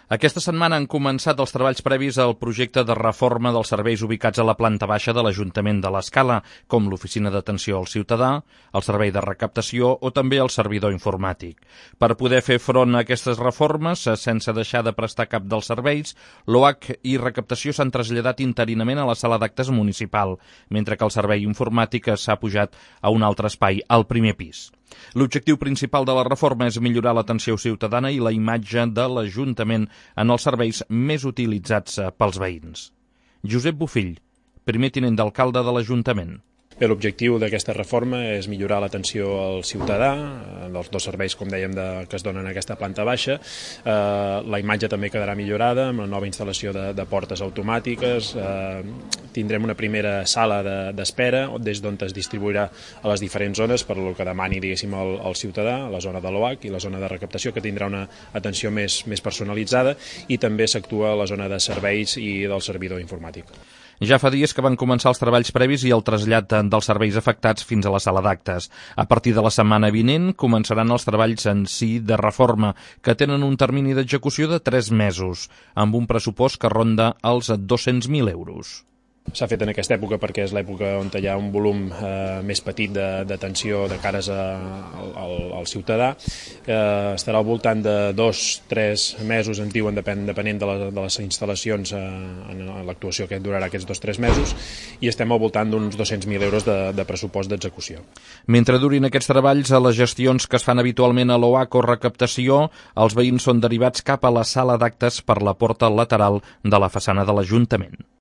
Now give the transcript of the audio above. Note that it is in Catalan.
Aquesta setmana han començat els treballs previs al projecte de reforma dels serveis ubicats a la planta baixa de l'Ajuntament de l'Escala, com l'oficina d'atenció al ciutadà, el servei de recaptació o també el servidor informàtic. Per poder fer front a aquestes reformes, sense deixar de prestar cap dels serveis, l'OAC i recaptació s'han traslladat interinament a la sala d'actes municipal, mentre que el servei informàtic s'ha pujat a un altre espai, al primer pis. L'objectiu principal de la reforma és millorar l'atenció ciutadana i la imatge de l'Ajuntament en els serveis més utilitzats pels veïns. Josep Bofill, primer tinent d'alcalde de l'Ajuntament. L'objectiu d'aquesta reforma és millorar l'atenció al ciutadà, dels dos serveis, com dèiem, que es donen en aquesta planta baixa. La imatge també quedarà millorada amb la nova instal·lació de portes automàtiques. Tindrem una primera sala d'espera des d'on es distribuirà a les diferents zones per lo que demani, diguéssim, el ciutadà, la zona de l'OAC i la zona de recaptació, que tindrà una atenció més personalitzada, i també s'actua a la zona de serveis i del servidor informàtic. Ja fa dies que van començar els treballs previs i el trasllat dels serveis afectats fins a la sala d'actes. A partir de la setmana vinent començaran els treballs en si de reforma, que tenen un termini d'execució de 3 mesos, amb un pressupost que ronda els 200.000 euros. S'ha fet en aquesta època perquè és l'època on hi ha un volum més petit d'atenció de cares al ciutadà. Estarà al voltant de 2-3 mesos, ens diuen, depenent de les instal·lacions en l'actuació que durarà aquests 2-3 mesos, i estem al voltant d'uns 200.000 euros de pressupost d'execució. Mentre durin aquests treballs, a les gestions que es fan habitualment a l'OAC o recaptació, els veïns són derivats cap a la sala d'actes per la porta lateral de la façana de l'Ajuntament.